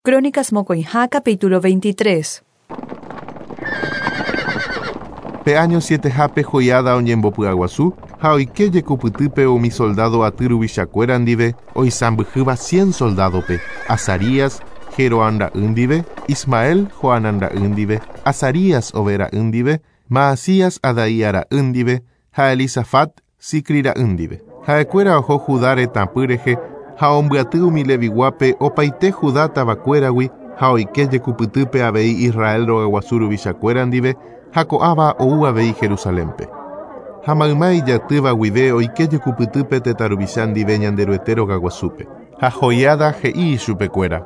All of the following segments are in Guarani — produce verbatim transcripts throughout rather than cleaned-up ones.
Crónicas mokõiha capítulo veintitrés. Pe año sietehápe Joiada oñembopy'aguasu ha oike jekupytýpe umi soldado aty ruvichakuéra ndive oisãmbyhýva cien soldadope, Azarías Jeroham ra'y ndive, Ismael Johanán ra'y ndive, Azarías Obed ra'y ndive, Maasías Adaía ra'y ndive ha Elisafat Sicri ra'y ndive. Ha'ekuéra oho Judá retãpy rehe ha ombyaty umi leviguápe opaite Judá tavakuéragui ha oike jekupytýpe avei Israel rogaguasu ruvichakuéra ndive ha ko'ãva ou avei Jerusalénpe. Ha mayma ijatýva guive oike jekupytýpe tetã ruvicha ndive Ñanderuete rogaguasúpe. Ha Joiada he'i ichupekuéra.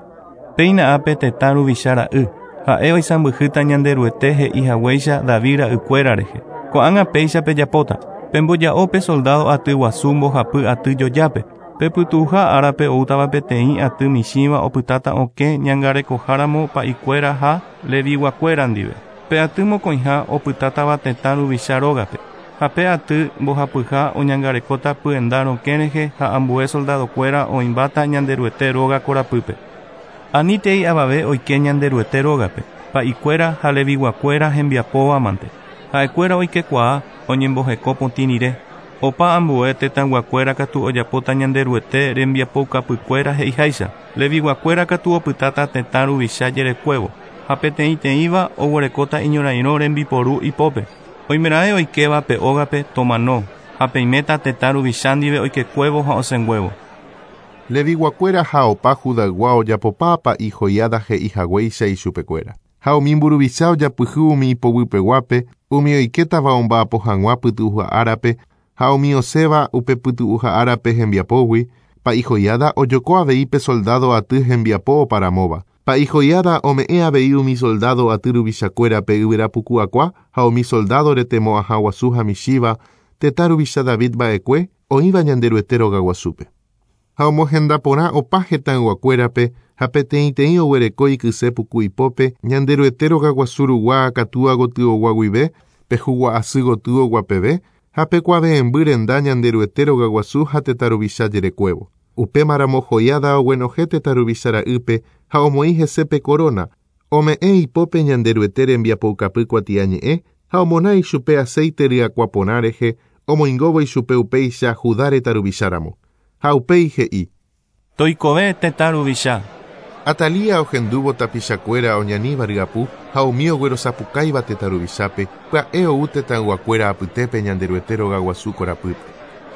Péina ápe tetã ruvicha ra'y, ha'e oisãmbyhýta Ñanderuete he'i haguéicha David ra'ykuéra rehe. Ko'ág̃a péicha pejapóta, pemboja'ópe soldado aty guasu mbohapy aty jojápe. Pepytu'uha árape oútava peteĩ aty michĩva opytáta okẽ ñangarekoháramo pa'ikuéra ha leviguakuéra ndive. Pe aty mokõiha opytátava tetã ruvicha rógape. Ha pe aty mbohapyha oñangarekóta pyenda rokẽ rehe ha ambue soldadokuéra oĩmbáta Ñanderuete róga korapýpe. Anítei avave oike Ñanderuete rógape, pa'ikuéra ha leviguakuéra hembiapóvamante. Ha'ekuéra oikekuaa oñemboheko potĩ rire. Opa ambue tetãyguakuéra katu ojapóta Ñanderuete rembiapoukapykuéra he'iháicha. Leviguakuéra katu opytáta tetã ruvicha jerekuévo ha peteĩteĩva oguerekóta iñorairõ rembiporu ipópe. Oimeraẽ oikéva pe ógape tomano ha peiméta tetã ruvicha ndive oikekuévo ha osẽnguévo. Leviguakuéra ha opa Judaygua ojapopa pa'i Joiada he'i haguéicha ichupekuéra. Ha umi mburuvicha ojapyhy umi ipoguypeguápe, umi oikétava omba'apo hag̃ua pytu'uha árape ha umi osẽva upe pytu'uha árape hembiapógui, pa'i Joiada ojoko avei pe soldado aty hembiapo oparamóva. Pa'i Joiada ome'ẽ avei umi soldado aty ruvichakuérape yvyrapuku'akua ha umi soldado retemo'ãha guasu ha michĩva tetã ruvicha David mba'ekue oĩva Ñanderuete rogaguasúpe. Ha omohenda porã opa hetãyguakuérape ha peteĩteĩ oguereko ikyse puku ipópe Ñanderuete rogaguasu rugua akatúa gotyogua guive pe hugua'asy gotyogua peve ha pe kuave'ẽmby renda Ñanderuete rogaguasu ha tetã ruvicha jerekuévo. Upémaramo Joiada oguenohẽ tetã ruvicha ra'ýpe ha omoĩ hese pe corona, ome'ẽ ipópe Ñanderuete rembiapoukapy kuatiañe'ẽ ha omona ichupe aceite ryakuã porã rehe omoingóvo ichupe upéicha Judá retã ruvicháramo. Ha upéi he'i. Toikove tetã ruvicha. Atalía ohendúvo tapichakuéra oñaníva ryapu ha umi oguerosapukáiva tetã ruvichápe pya'e ou tetãyguakuéra apytépe Ñanderuete rogaguasu korapýpe.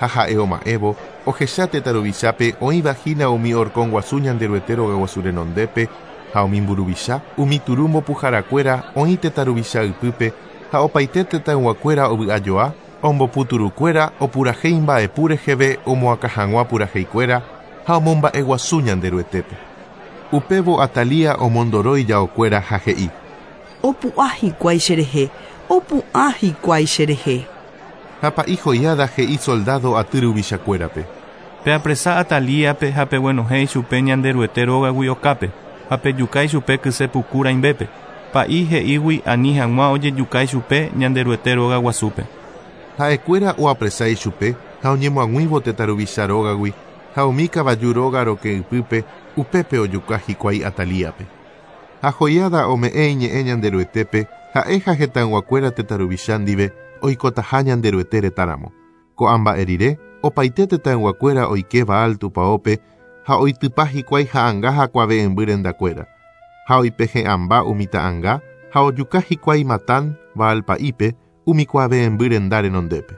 Ha ha'e oma'ẽvo ohecha tetã ruvichápe oĩvahína umi horkon guasu Ñanderuete rogaguasu renondépe ha umi mburuvicha umi turu mbopuharakuéra oĩ tetã ruvicha ypýpe ha opaite tetãyguakuéra ovy'ajoa omboputurukuéra opurahéi mba'epu reheve omoakã hag̃ua puraheikuéra ha omomba'eguasu Ñanderuetépe. Upévo Atalía omondoro ijaokuéra ha he'i. Opu'ã hikuái cherehe, opu'ã hikuái cherehe. Ha pa'i Joiada he'i soldado aty ruvichakuérape. Peapresa Atalíape ha peguenohẽ ichupe Ñanderuete rógagui okápe ha pejuka ichupe kyse puku rãimbépe. Pa'i he'ígui ani hag̃ua ojejuka ichupe Ñanderuete rogaguasúpe. Ha'ekuéra oapresa ichupe ha oñemoag̃uívo tetã ruvicha rógagui ha umi kavaju róga rokẽ ypýpe upépe ojuka hikuái Atalíape. Ha Joiada ome'ẽ iñe'ẽ Ñanderuetépe ha'e ha hetãyguakuéra tetã ruvicha ndive oikotaha Ñanderuete retãramo. Ko'ã mba'e rire opaite tetãyguakuéra oike Baal tupãópe ha oitypa hikuái ha'ãnga ha kuave'ẽmby rendakuéra. Ha oipehe'ãmba umi ta'ãnga ha ojuka hikuái Matán Baal pa'ípe umi kuave'ẽmby renda renondépe.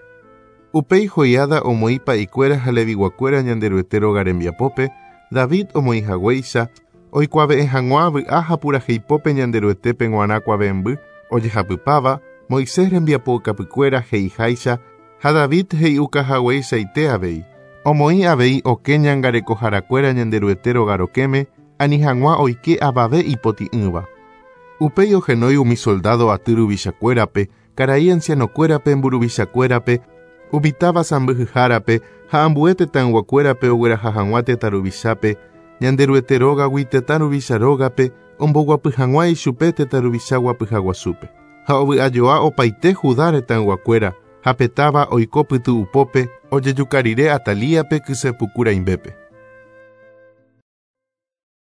Upéi Joiada omoĩ pa'ikuéra ha leviguakuéra Ñanderuete róga rembiapópe, David omoĩ haguéicha oikuave'ẽ hag̃ua vy'a ha puraheipópe Ñanderuetépe g̃uarã kuave'ẽmby ojehapypáva Moisés rembiapoukapykuéra he'iháicha ha David he'iukahagueichaite avei. Omoĩ avei okẽ ñangarekoharakuéra Ñanderuete róga rokẽme ani hag̃ua oike avave ipotĩ'ỹva. Upéi ohenói umi soldado aty ruvichakuérape, karai ancianokuérape mburuvichakuérape, umi táva sãmbyhyhárape ha ambue tetãyguakuérape ogueraha hag̃ua tetã ruvichápe, Ñanderuete rógagui tetã ruvicha rógape omboguapy hag̃ua ichupe tetã ruvicha guapyhaguasúpe. Ha ovy'ajoa opaite Judá retãyguakuéra ha pe táva oiko pytu'upópe ojejuka rire Atalíape kyse puku rãimbépe.